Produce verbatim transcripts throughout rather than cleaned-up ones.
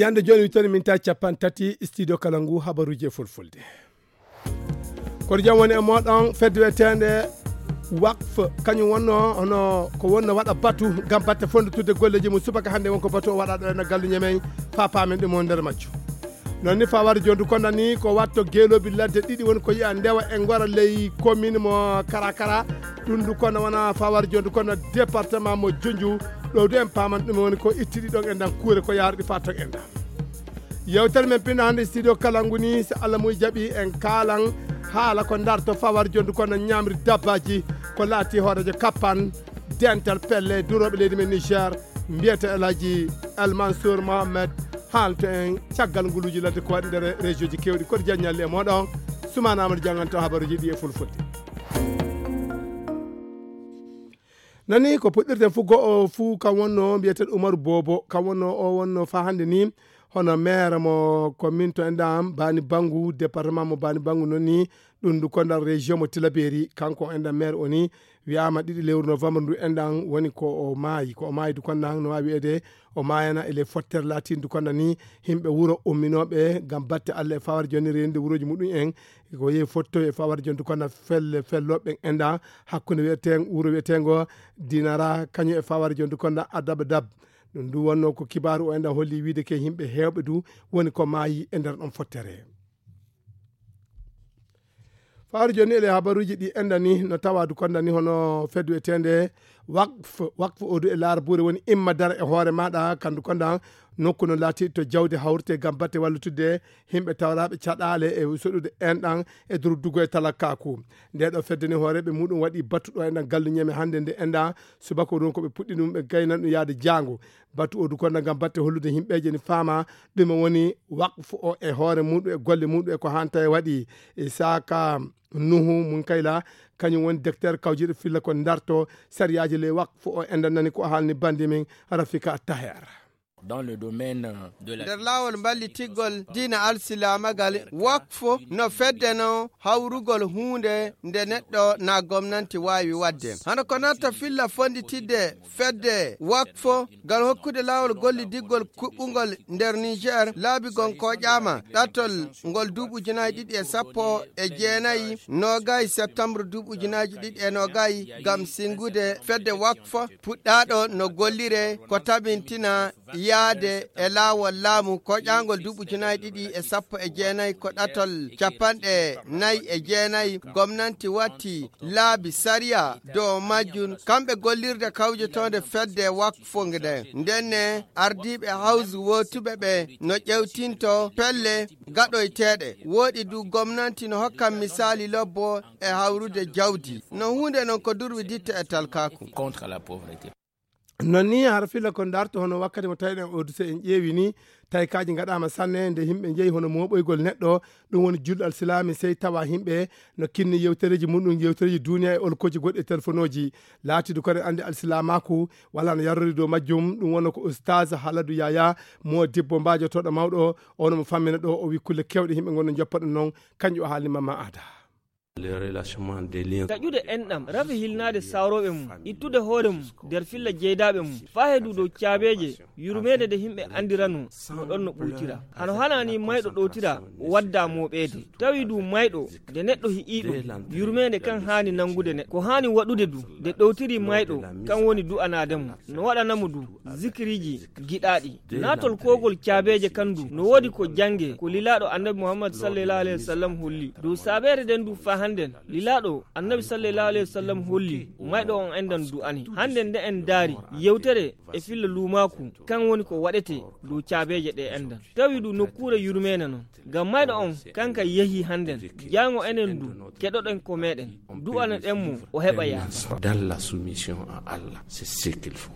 Yande jooni wittori min ta capan tati studio kala ngu habaruji e fulfulde. Koto jam woni e moɗon fedde wiyeteende waqf, kañum wonno hono ko wonno waɗa batu ngam batte fonndutude golleji mum. Subaka hannde won ko batu o waɗa ɗo ena gallu ñemen, fa paamen ɗum o nder majju. Noon ni fa wari jondu konda ni ko watto geeloobi ladde ɗiɗi woni ko yiya ndewa e ngora ley commune mo Karakara. Ɗum du kono wona fa wari jondu kono département mo Junju. Ɗo du en paaman ɗum woni ko itti ɗi ɗon en dan kuure ko yaarɗi fa ton en dan. Yewtere men pinno hannde studio kala nguni, so Allah muy jaɓi en kaalan haala ko darto fa wari jondu kono ñamri dabbaji ko laati hoorejo kappan dental pelle durooɓe leydi men Niger, mbiyete El Hadji El Mansour Mohamed. Haalto en caggal nguluuji ladde ko waɗi nder région ji kewɗi. Koto jaññalli e moɗon, Sumana Amadou jannganto habaruji ɗi e fulfulde. Nani ko puɗɗirten fu go'o fu kan wonno mbiyeteɗo Umaru Bobo, kan wonno o wonno fa hannde ni hono maire mo commune to enɗan Bani Bangu, département mo Bani Bangu noon ni. Ɗum ndu kondal région mo Tilaberi, kanko enɗan maire o ni wiyama ɗiɗi lewru novembre ndu enɗan woni ko o maayi. Ko o maayi du kondan no wawi wiyede o maayana ele fottere latindu kondan ni yimɓe wuro umminoɓe ngam batte Allah e fawar joni rende wuroji muɗum en. Ko yehi fotto e fawar jondu kondan felle felloɓe enɗan hakkunde wiyeten wuro wiyetengo Dinara kañum e fawar jondu kondan Adaba Dab. Ɗum ndu wonno ko kibaru o enɗan holli wiide ke yimɓe hewɓe du woni ko maayi e nder ɗon fottere. Fawar joni ele habaruji ɗi enɗan ni no tawa du kondan ni hono feddu etende waqf, waqf o du e laara buure woni imma dara e hoore maɗa kandu kondan nokku no laati to jawdi hawrte ngam batte wallutude yimɓe tawraɓe caɗale e soɗude enɗan e durdugo e talakkaku. Nde ɗo fedde ni hooreɓe muɗum waɗi battuɗo enɗan gallu ñeme hannde nde enɗan subaka ɗum ko ɓe puɗɗi ɗum ɓe gaynan ɗum yaade jaango. Battu o du konda ngam batte hollude yimɓeje ni faama ɗume woni waqf o e hoore muɗum e golle muɗum e ko hanta e waɗi. E saka Nuhu Munkayla kañum woni docteur kawjiɗo filla ko darto sariyaji ley waqf o enɗan nani ko haalni bandi min Rafika Taher. Dans le domaine de la nder laawol mballitiggol diina alsilaamagal, waqf no fedde no hawrugol huunde nde neɗɗo na gomnanti waawi waɗde. Hano ko natta filla fonnditidde fedde waqf ngal hokkude laawol gollidiggol kuɓɓungol nder Niger laabi gon koƴaama ɗattol ngol duuɓi ujunaaji ɗiɗi e sappo e jeenayi, noogayi septembre duuɓi ujunaaji ɗiɗi e noogayi, ngam singude fedde waqf puɗɗaaɗo no gollire ko tabintina yaade e laawol laamu koƴaangol duuɓi ujunaaji ɗiɗi e sappo e jeenayi ko ɗattol capanɗe nayi e jeenayi. Gomnanti watti laabi sariya dow majjum, kamɓe gollirde kawjetoonde fedde waqf nde. Ndenne ardiiɓe hawsu wootuɓe ɓe no ƴewtinto pelle gaɗoyteeɗe. Wooɗi du gomnanti no hokkan misaali lobbo e hawrude jawdi. No huunde non ko durwi ditte e talkaaku. Contre la pauvreté. Noon ni hara filla ko darto hono wakkati mo tawiɗen o duse en ƴeewi ni tawi kaaji ngaɗaama sanne nde yimɓe njeyi hono mooɓoygol neɗɗo. Ɗum woni julɗo alsilaami sey tawa yimɓe no kinni yewtereeji muɗum yewtereeji duniya e olkoji goɗɗi e telefonooji. Laatidu kadi anndi alsilaamaaku wala no yarrori dow majjum. Ɗum wonno ko ustaas Haladu Yaya mo dibbo mbaajotooɗo mawɗo. Ono mo fammina ɗo o wi kulle kewɗe yimɓe ngonno joppa ɗum noon. Kanƴu o haalni mamma aada. Taƴude enɗam rafi hilnaade sawrooɓe mum, ittude hoore mum nder filla jeydaaɓe mum, faa heedu dow caabeeje yurmeende nde yimɓe anndirano no ɗon no ɓultira. Hano hanani mayɗo ɗowtira wadda mooɓeede. Tawi du mayɗo nde neɗɗo hi'ii ɗum yurmeende kan haani nanngude neɗɗo. Ko haani waɗude du nde ɗowtiri mayɗo kan woni du'anaade mo, no waɗana mo du zikiriji giɗaaɗi. Naatol kogol caabeeje kan du no woodi ko jannge ko lilaaɗo annabi Muhammad sallallahu alaihi wasallam holli. Dow saabeere nden du faa hannden lilaaɗo annabi sallallahu alaihi wasallam holli mayɗo on enɗan du'ani. Hannden nde en daari yewtere e filla luumaaku kan woni ko waɗete dow caabeeje ɗe enɗan. Tawi du nokkuure yurmeene non. Ngam mayɗo on kanka yehi hannden. Jaango enen du keɗoɗen ko meɗen. Du'ana ɗen mo o heɓa yaafo. Dans la soumission à Allah, c'est ce qu'il faut.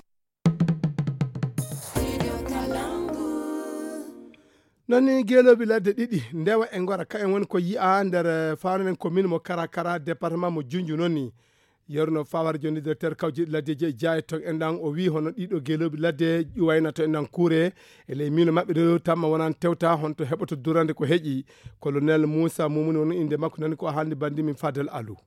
Noon ni geelooɓe ladde ɗiɗi ndewa e ngora ka en woni ko yi'a nder faanonen commune mo Karakara département mo Junju noon ni. Yerno fawar joni directeur kawjiɗi laddeji e jaaye ton enɗan o wi hono ɗiɗo geelooɓe ladde ƴuwayna to enɗan kuure e ley miino maɓɓe ɗo tamma wonan tewta honto heɓoto durande ko heƴi. Colonel Moussa Mumuni woni inde makko nani ko haalni bandi min Fadel Alou.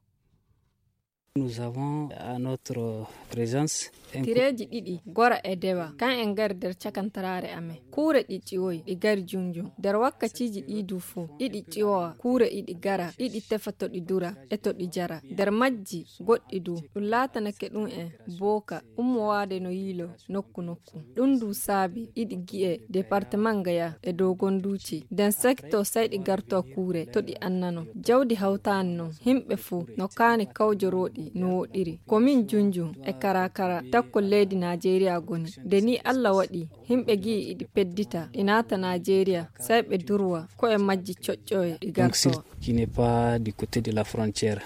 Nous avons à notre présence un cou- Tireeji ɗiɗi, gora e dewa, kan en ngari nder cakantaraare amen. Kuure ɗi ƴiwoyi, ɗi ngari junjun. Nder wakkatiiji ɗii du fow, iɗi ƴiwowa, kuure iɗi ngara, iɗi tefa to ɗi dura e to ɗi jara. Nder majji, goɗɗi du, ɗum laatanake ɗum en booka, ummowaade no yiilo nokku nokku. Ɗum du saabi iɗi gi'e departement Gaya e Dogonduuci. Nden sekto sai ɗi garto kuure to ɗi annano. Jawdi hawtaani non, himɓe fuu no kaani kawjorooɗi no woɗɗiri. Komin junjun e karakara takkol leydi Naajeeriya goni. Nde ni Allah waɗi, himɓe gi'i iɗi peddita, ɗi naata Naajeeriya, sai ɓe durwa, ko'e majji coƴƴoye ɗi Donc, garto. S'il qui n'est pas du côté de la frontière.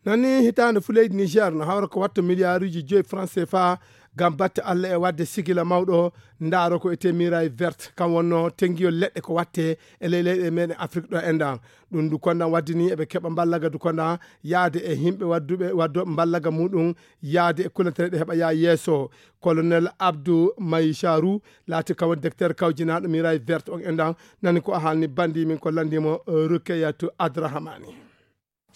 Nani hitaande fu leydi Niger no hawra ko watta miliyaaruuji joyi franc C F A ngam batte Alla e waɗde sigila mawɗo ndaaro ko etee Miray Vert, kam wonno tenngiyol leɗɗe ko watte e ley leyɗe meɗen Afrik ɗo enɗan. Ɗum du kondan waddini eɓe keɓa mballaga du kondan yaade e himɓe wadduɓe, waddo mballaga muɗum yaade e kulantere ɗe heɓa yaa yeeso. Colonel Abdou Maïcharou laati kam woni directeur kawjinaaɗo Miray Vert on enɗan, nani ko a haalni bandi min ko landimo, eh, Rukeyatu Adrahamani.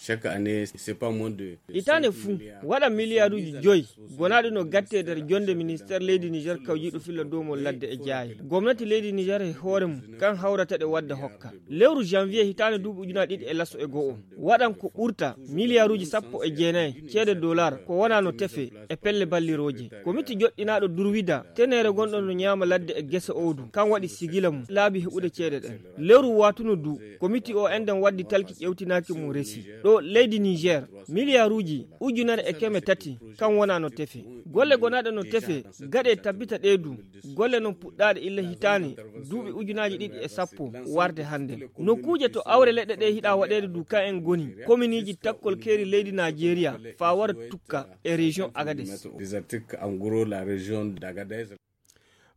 Chaque année, c'est pas moins de Hitaande fuu, waɗa miliyaaruuji joyi, gonaaɗi no gatte nder jonde ministeer leydi Niger kawjiiɗo filla doomol ladde e jaaye. Gomnati leydi Niger e hoore mum, kan hawrata ɗe wadda hokka. Lewru janvier hitaande duuɓi ujunaaji ɗiɗi e laso e go'o, waɗan ko ɓurta miliyaaruuji sappo e jeenayi ceede dollar ko wonaa no tefe e pelle ballirooje. Komiti joɗɗinaaɗo Durwida, teneere gonɗo no ñaama ladde e gese owdu, kan waɗi sigila mum laabi heɓude ceede ɗen. Lewru waatuno du, komiti o enɗan waddi talki ƴewtinaaki mum resi. Ɗo leydi Niger, miliyaaruuji ujunere e keme tati, kan wonaa no tefe. Golle gonaaɗe no tefe, gaɗe tabbita ɗe du. Golle non puɗɗaaɗe illa hitaande, duuɓi ujunaaji ɗiɗi e sappo, warde hannde. Nokkuuje to awre leɗɗe ɗe hiɗa waɗeede du kan en goni, kominiiji takkol keeri leydi Naajeeriya, faa wara tukka e région Agadez. Des articles en gros, la région d'Agadez.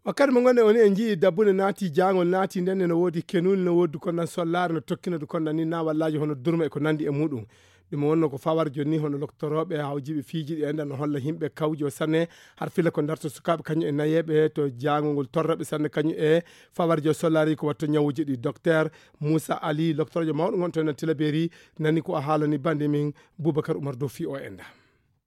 Wakkati mo ngonɗen woni en njii dabbunde naati, jaangol naati, nden ne no woodi kenuli, no woodi du kondan sollaare, no tokkino du kondan ni naawallaaji hono durma e ko nandi e muɗum. Ɗum wonno ko fawar jonni hono loktorooɓe hawjiiɓe fiiji ɗi enɗan no holla himɓe kawjo sanne har fila ko darto sukaaɓe kañum e nayeeɓe to jaangol ngol torraɓe sanne kañum e fawar jo sollaare ko watto ñawuji ɗi. Docteur Moussa Ali, loktoroojo mawɗo ngon to enɗan Tilaberi, nani ko a haalani bande min Boubacar Oumar Dofi o enɗan.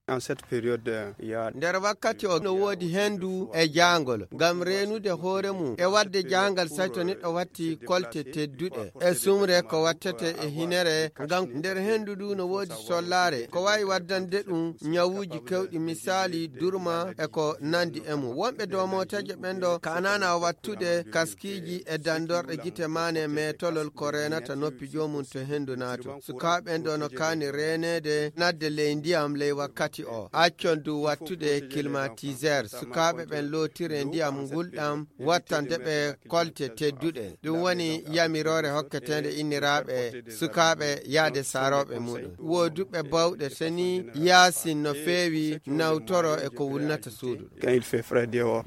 En cette période, euh, il y a Nder wakkati o no woodi hendu e jaangol ngam reenude hoore mum e waɗde jaangal say to neɗɗo watti kolte tedduɗe e sumre ko wattete e hinere ngam nder hendu ndu no woodi sollaare ko wawi waddande ɗum ñawuji kewɗi misaali durma e ko nandi e mum. Wonɓe dow mooteeje ɓen ɗo kanana wattude kaskiiji e dandorɗe gite maane meetolol ko reenata noppi joomum to hendu naato. Sukaaɓe ɓen ɗo no kaani reeneede nadde ley ndiyam ley wakkati o. Accon du wattude climatiseur. Sukaaɓe ɓen lootire ndiyam ngulɗam wattande ɓe kolte tedduɗe. Ɗum woni yamiroore hokketeende inniraaɓe sukaaɓe yaade saarooɓe muɗum. Wooduɓe bawɗe seni yaasin no feewi nawtoro e ko wulnata suudu. Quand il fait frais dehors.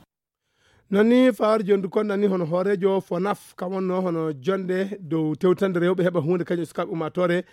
Non ni fawar jondu kon nani hono hooreejo Fonaf, kam wonno hono jonde dow tewtande rewɓe heɓa huunde kañum e sukaaɓe ummaatoore.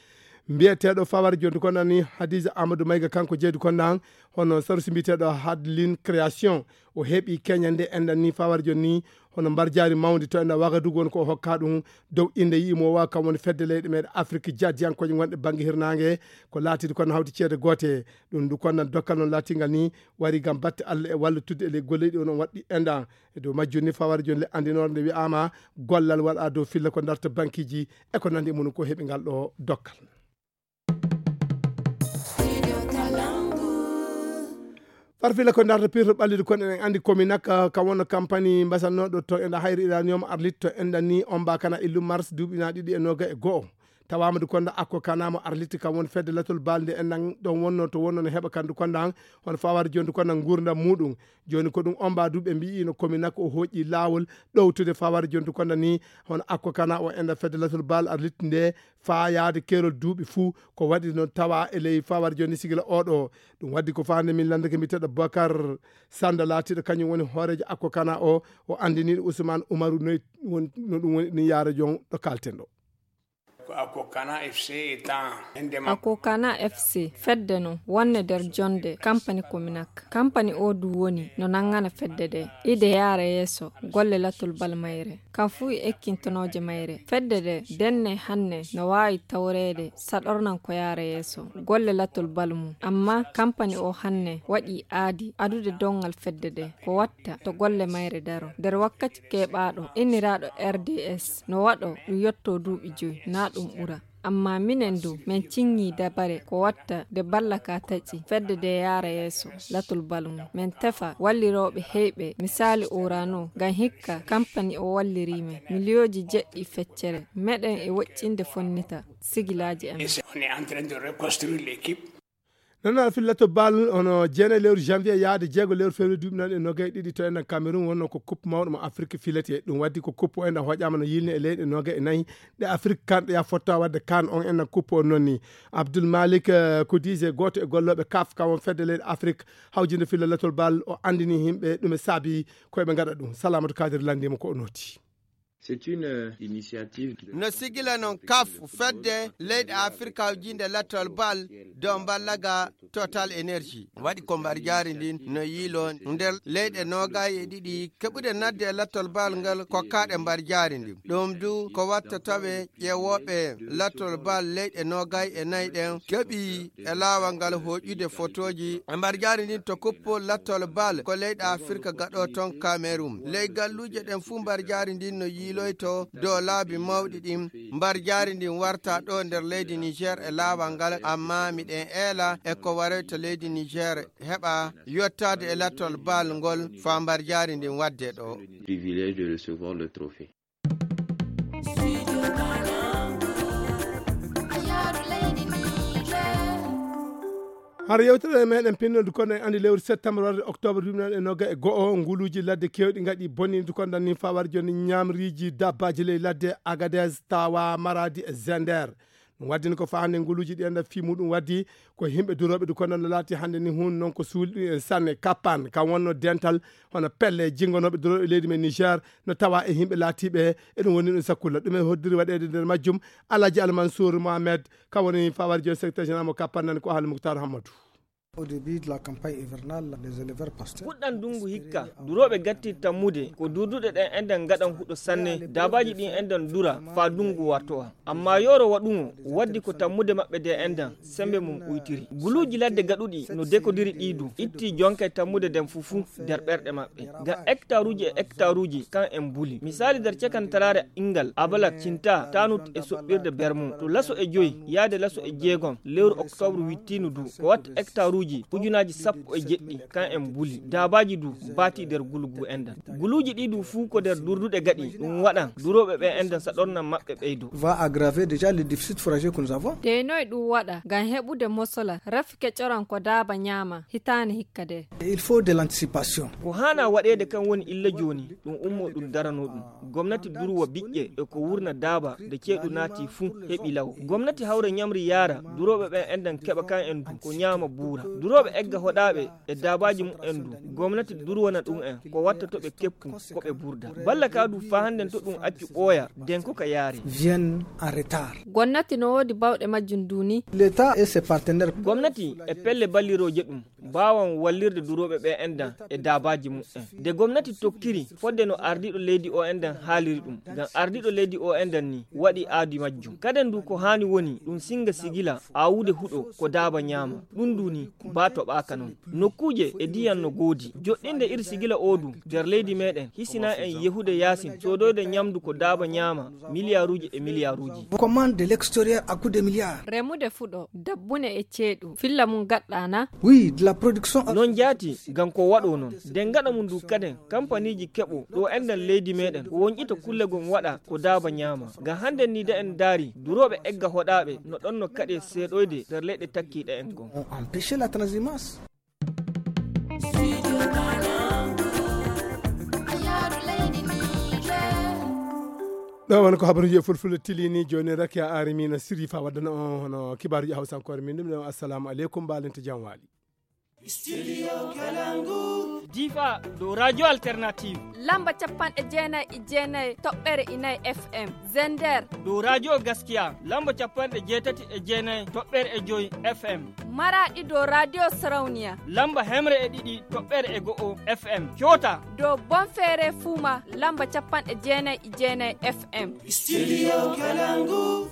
Mbiyeteeɗo fawar jondu kon nani Hadiza Amadou Mayga, kanko jeydu kon nan hono sarusi mbiyeteeɗo Hadlin Création. O heɓi keñande enɗan ni fawar jonni hono mbarjaari mawndi to enɗan Wagadugu woni ko o hokka ɗum dow innde yi'i mo wa kam woni fedde leyɗe meɗen Afrik jaddiyankooje gonɗe bannge hirnaange ko laatidi kon hawti ceede goote. Ɗum ndu kon nan dokkal non laatingal ni wari ngam batte Allah e wallitudde e ley golleeji ɗi onon waɗɗi enɗan. E dow majjum ni fawar jonni le anndinoore nde wi'aama gollal waɗa dow filla ko darta bankiiji e ko nandi e mum ko heɓi ngal ɗo dokkal. Farfila ko darta pirto ɓallidu kon eɗen anndi komi nak kam wonno kampani mbasannooɗo to enɗan hayri iranium arlit to enɗan ni on mbakana illu mars duuɓi na ɗiɗi e noga e go'o. Tawaama du konda akko kana mo arliti kam woni fedde latol balde en nan ɗon wonno to wonno no heɓa kandu konda han hono fawar jondu konda ngurdam muɗum. Joni ko ɗum omba du ɓe mbi'i no komi nak o hoƴƴi laawol ɗowtude fawar jondu konda ni hono akko kana o enda fedde latol bal arliti nde faa yaade kerol duuɓi fuu ko waɗi no tawa e ley fawar joni sigila oɗo. Ɗum waddi ko faande min landake mbiteɗo Bokar Sanda laatiɗo kañum woni hooreejo akko kana o, o andiniɗo Ousmane Oumarou noy won-, no ɗum woni ɗum yaara jon ɗo kalten ɗo. Akokana FC fedde no wonne nder jonde kampani Kominak. Kampani o du woni no nangana fedde de ide yaara yeeso golle latol bal mayre. Kam fuu e ekkintonooje mayre. Fedde de denne hanne no waawi tawreede saɗornan ko yaara yeeso golle latol bal mum. Amma kampani o hanne waɗi aadi adude dongal fedde de ko watta to golle mayre daro. Nder wakkati keɓaaɗo inniraaɗo R D S no waɗo ɗum yotto duuɓi joy, na ɗum ɓura. Amma minen du, min ciŋŋii dabare ko watta de balla ka taƴi fedde de yaara yeeso latol bal mum. Min tefa wallirooɓe heyɓe, misaali Orano, ngam hikka kampani o walliri min miliyooji jeɗɗi feccere. Meɗen e woƴƴinde fonnita sigilaaji amin. Nana fillato bal hono jeenayi lewru janvier yaade jeego lewru février duuɓi nan e nogay ɗiɗi to enɗan Cameroun wonno ko coupe mawɗo mo Afrique filete. Ɗum waddi ko coupe o enɗan hoƴaama no yilni e leyɗe nogay e nayi ɗe Afrique kanɗe ya fotta wadde kan on enɗan coupe o nonni. Abdoul Malik, eh, Koudise, gooto e gollooɓe kaf kam won fedde leyɗe Afrique hawjinde filla latol bal o anndini yimɓe ɗum e saabi koye ɓe ngaɗa ɗum. Salamatu Kadir lanndima ko o noti. C'est une, euh, initiative de no sigila noon kaf fedde leyɗe Afrique hawjinde latol bal dow mballaga Total Energy. Waɗi ko mbarjaari ndin no yiilo nder leyɗe noogay e ɗiɗi keɓude nadde e lattol bal ngal kokkaɗe mbarjaari ndin. Ɗum du ko watta tawe ƴeewooɓe lattol bal leyɗe noogay e nayi ɗen keɓi e laawol ngal hoƴude fotooji e mbarjaari ndin to kuppo lattol bal ko leyɗe Afirka gaɗo toon Kamerun. Ley galluuje ɗen fuu mbarjaari ndin no yiiloyto dow laabi mawɗi ɗin. Mbarjaari ndin warta ɗo nder leydi Niger e laawol ngal, amma miɗen eela e ko waroyta leydi Niger heɓa yottaade e lattol bal ngol faa mbarjaari ndin waɗde ɗo. Privilège de recevoir le trophée. Hara yewtere meɗen pinnodu kono en andi lewru septembre warde octobre duuɓi nan e noga e go'o, nguluuji ladde kewɗi ngaɗi bonnidu kon danni faa wari joni ñamriiji dabbaaji ley ladde Agadez, Tawa, Maradi e Zender. Ɗum waddini ko faa hannde nguluuji ɗi enda fii muɗum waddi ko yimɓe durooɓe du kono no laati hannde ni hun non ko suuli ɗum en sanne kappan kam wonno dental hono pelle jingonooɓe durooɓe leydi men Niger no tawa e yimɓe laatiiɓe eɗum woni ɗum sakkulla ɗum e hoddiri waɗeede nder majjum. Alhaji Almansour Mohamed kam woni faa wari joni secrétaire général mo kappan nani ko Ahali Muktar Hammadou. Au début de la campagne hivernale, les éleveurs pasteurs puɗɗan ndungu hikka, durooɓe gatti tammude ko durduɗe ɗen enɗan ngaɗan huɗo sanne, daabaaji ɗin enɗan dura faa ndungu wartowa. Amma yooro waɗuŋo waddi ko tammude maɓɓe de enɗan sembe mum uytiri. Guluuji ladde gaɗuɗi no dekodiri ɗi du itti jonka e tammude nden fuu fuu nder ɓerɗe maɓɓe. Ngam hektaruuji e hektaruuji kan en mbuli. Misaali nder cekantaraare inngal, Abalak, Cinta, Tanut e soɓɓirde Bermo. To laso e joy yaade laso e jeegom lewru oktoobre wittiinu du ko watta hektaruuji ujunaaji sappo e jeɗɗi kan en mbuli. Daabaaji du baati nder gulugu enɗan. Guluuji ɗi du fuu ko nder durduɗe gaɗi ɗum waɗan durooɓe ɓe enɗan saɗornan maɓɓe ɓeydo. Va aggraver déjà le déficit fourragé que nous avons. Deynoy ɗum waɗa ngam heɓude mosola rafi kecoran ko daaba ñaama hitaande hikka de. Il faut de l'anticipation. Ko haana waɗeede kan woni illa jooni ɗum ummo ɗum darano ɗum. Gomnati durwa biƴƴe e ko wurna daaba nde ceeɗu naati fuu heɓi law. Gomnati hawra ñamri yaara durooɓe ɓen enɗan keɓa kan en du ko ñaama buura. Durooɓe egga hoɗaaɓe e daabaaji mumen du. Gomnati durwana ɗum en ko watta to ɓe keppu ko ɓe burda. Balla ka du faa hannden to ɗum accu ɓooya den ko ka yaari. Viennent en retard. Gomnati no woodi bawɗe majjum du ni. L'État et ses partenaires. Gomnati e pelle ballirooje ɗum. Mbaawan wallirde durooɓe ɓe enɗan e daabaaji mumen. Nde gomnati tokkiri fodde no ardiiɗo leydi o enɗan haaliri ɗum. Ngam ardiiɗo leydi o enɗan ni waɗi aadi majjum. Kaden du ko haani woni ɗum singa sigila aawude huɗo ko daaba ñaama. Ɗum du ni baa toɓaaka non. Nokkuuje e diyan no goodi. Joɗɗinde iri sigila o du nder leydi meɗen hisina en yehude yaasin soodoyde ñamdu ko daaba ñaama miliyaaruuji e miliyaaruuji. Commande de l'extérieur à coût de milliards. Remude fuɗo dabbune e ceeɗu filla mum gaɗɗa na. Oui, de la production. Non jaati ngam ko waɗo non. Den gaɗa mum du kaden kampaniiji keɓo ɗo enɗan leydi meɗen ko wonƴita kulle gon waɗa ko daaba ñaama. Ngam hannden ni da en ndaari durooɓe egga hoɗaaɓe no ɗon no kaɗe seeɗoyde nder leyɗe takkiiɗe en gon. On empêche la transhumance. Ɗo woni ko habaruji e fulfulde tilini joni rakiya arimi no sirri fa waddana on hono kibaruji hawsankoore min ɗum ɗon assalamu aleykum mbalente jam waali. Studio Kalangu. Difa dow Radio Alternative. Lamba capanɗe jeenayi e jeenayi toɓɓere inayi F M. Zender. Dow Radio Gaskiya. Lamba capanɗe jeetati e jeenayi toɓɓere e joyi F M. Maraɗi dow Radio Sarauniya. Lamba hemre e ɗiɗi toɓɓere e go'o F M. Kyota. Dow Bonfere Fuma. Lamba capanɗe jeenayi e jeenayi F M. Studio Kalangu.